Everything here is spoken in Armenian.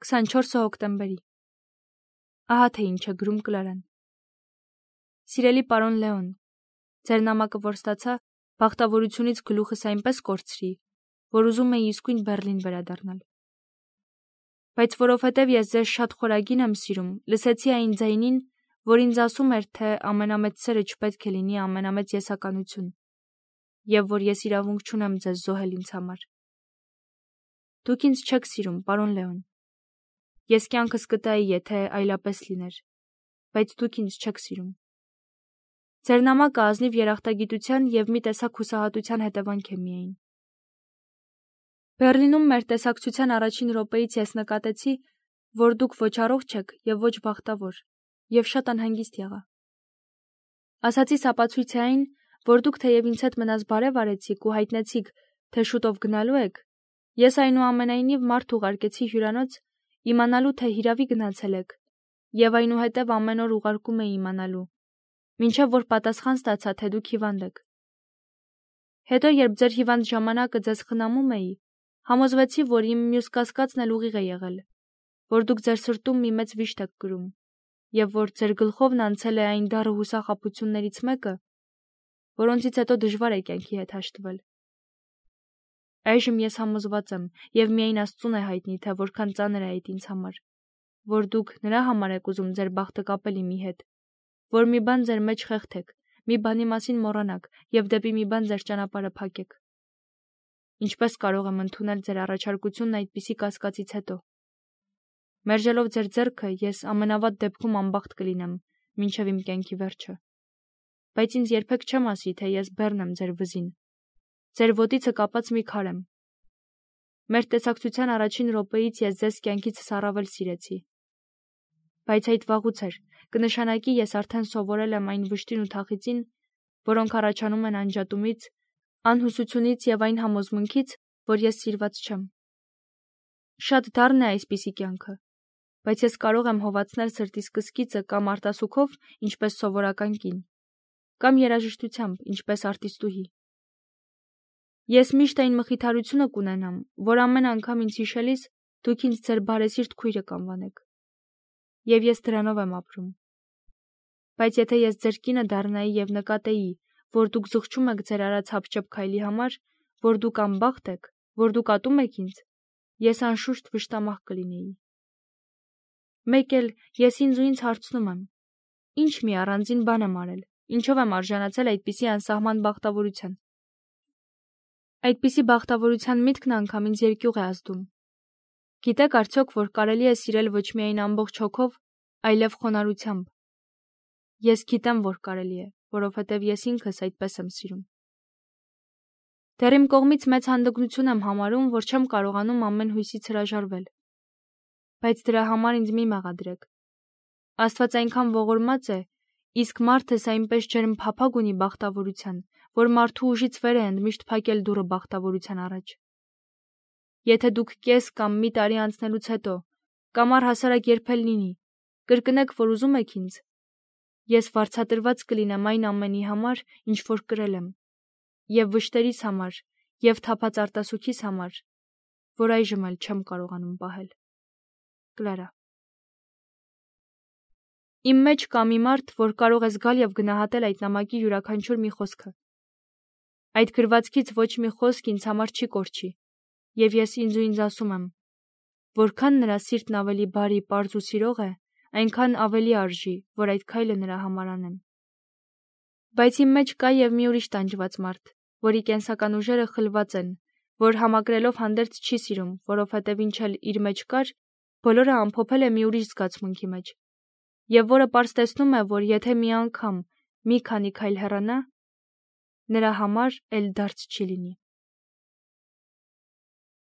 24 հոկտեմբերի։ Ահա թե ինչ է գրում Կլարան։ Սիրելի պարոն Լեոն, ձեր նամակը որ ստացա, բախտավորությունից գլուխս այնպես կորցրի, որ ուզում էի իսկույն Բեռլին վերադառնալ։ Բայց որովհետև ես ձեզ շատ խորագին եմ սիրում, լսեցի այն ձայնին, որ ինձ ասում էր, թե ամենամեծ սերը չպետք է լինի ամենամեծ եսականություն, եւ որ ես իրավունք չունեմ ձեզ զոհել ինձ համար։ Դուք ինձ չեք սիրում, պարոն Լեոն։ Ես կյանքս կտայի, եթե այլապես լիներ, բայց դուք ինձ չեք սիրում։ Ձեր նամակը ազնիվ երախտագիտության եւ մի տեսակ հուսահատության հետևանք է միայն։ Բեռլինում մեր տեսակցության առաջին րոպեից ես նկատեցի, որ դուք ոչ առողջ եք եւ ոչ բախտավոր, եւ շատ անհանգիստ եղա։ Ասացիս ապացույց է այն, որ դուք թեև ինձ հետ մնաց բարև արեցիք ու հայտնեցիք, թե շուտով գնալու եք, ես այնուամենայնիվ մարդ ուղարկեցի հյուրանոց, իմանալու թե հիրավի գնացել եք, եւ այնուհետև ամեն օր ուղարկում էի իմանալու, մինչև որ պատասխան ստացա, թե դուք հիվանդ եք։ Հետո երբ ձեր հիվանդ ժամանակը ձեզ խնամում էի, համոզվեցի, որ իմ մյուս կասկածն էլ ուղիղ է եղել, որ դուք ձեր սրտում մի մեծ վիշտ եք կրում, եւ որ ձեր գլխովն անցել է այն դառը հուսախաբություններից մեկը, որոնցից հետո դժվար է կյանքի հետ հաշտվել։ Այժմ ես համոզված եմ, եւ միայն Աստծուն է հայտնի, թե որքան ծանր է այդ ինձ համար, որ դուք նրա համար եք ուզում ձեր բախտը կապել իմի հետ, որ մի բան ձեր մեջ խեղդեք, մի բանի մասին մոռանաք եւ դեպի մի բան ձեր ճանապարհը փակեք։ Ինչպես կարող եմ ընդունել ձեր առաջարկությունն այդպիսի կասկածից հետո։ Մերժելով ձեր ձեռքը, ես ամենավատ դեպքում անբախտ կլինեմ, մինչև իմ կյանքի վերջը։ Բայց ինձ երբեք չեմ ասի, թե ես բեռն եմ ձեր վզին։ Ձեր ոտիցը կապած մի քար եմ։ Մեր տեսակցության առաջին րոպեից ես ձեզ կյանքիցս առավել սիրեցի։ Բայց այդ վաղուց էր, կնշանակի ես արդեն սովորել եմ այն վշտին ու թախիծին, որոնք առաջանում են անջատումից, անհուսությունից եւ այն համոզմունքից, որ ես սիրված չեմ։ Շատ դառն է այսպիսի կյանքը, բայց ես կարող եմ հովացնել սրտիս կսկիծը կամ արտասուքով, ինչպես սովորական կին, կամ երաժշտությամբ, ինչպես արտիստուհի։ Ես միշտ այն մխիթարությունը կունենամ, որ ամեն անգամ ինձ հիշելիս դուք ինձ ձեր բարեսիրտ քույրը կանվանեք։ Եվ ես դրանով եմ ապրում։ Բայց եթե ես ձեր կինը դառնայի եւ նկատեի, որ դուք զղջում եք ձեր արած հապճեպ քայլի համար, որ դուք անբախտ եք, որ դուք ատում եք ինձ, ես անշուշտ վշտամաղ կլինեի։ Մեկ էլ ես ինձ ու ինձ հարցնում եմ. ինչ մի առանձին բան եմ արել, ինչով եմ արժանացել այդպիսի անսահման բախտավորության։ Այդպիսի բախտավորության միտքն անգամ ինձ երկյուղ է ազդում։ Գիտեք արդյոք, որ կարելի է սիրել ոչ միայն ամբողջ հոգով, այլև խոնարհությամբ։ Ես գիտեմ, որ կարելի է, որովհետև ես ինքս այդպես եմ սիրում։ Դեռ իմ կողմից մեծ հանդգնություն եմ համարում, որ չեմ կարողանում ամեն հույսից հրաժարվել։ Բայց դրա համար ինձ մի մեղադրեք։ Աստված այնքան ողորմած է, իսկ մարդս այնպես ջերմ փափագ ունի բախտավորության, որ մարդու ուժից վեր է ընդմիշտ փակել դուռը բախտավորության առաջ։ Եթե դուք կես կամ մի տարի անցնելուց հետո, կամ առհասարակ երբել լինի, կրկնեք, որ ուզում եք ինձ, ես վարձատրված կլինեմ այն ամենի համար, ինչ որ կրել եմ, եւ վշտերիս համար, եւ թափած արտասուքիս համար, որ այժմ էլ չեմ կարողանում պահել։ Կլարա։ Իմ մեջ կա մի մարդ, որ կարող է զգալ եւ գնահատել այդ նամակի յուրաքանչյուր մի խոսքը։ Այդ գրվածքից ոչ մի խոսք ինձ համար չի կորչի, եւ ես ինձ ու ինձ ասում եմ, որքան նրա սիրտն ավելի բարի, պարզ ու սիրող է, այնքան ավելի արժի, որ այդ քայլը նրա համար անեմ։ Բայց իմ մեջ կա եւ մի ուրիշ տանջված մարդ, որի կենսական ուժերը խլված են, որ համակրելով հանդերձ չի սիրում, որովհետև ինչ էլ իր մեջ կար, բոլորը ամփոփել է մի ուրիշ զգացմունքի մեջ, եւ որը պարզ տեսնում է, որ եթե մի անգամ մի քանի քայլ հեռանա, նրա համար էլ դարձ չի լինի։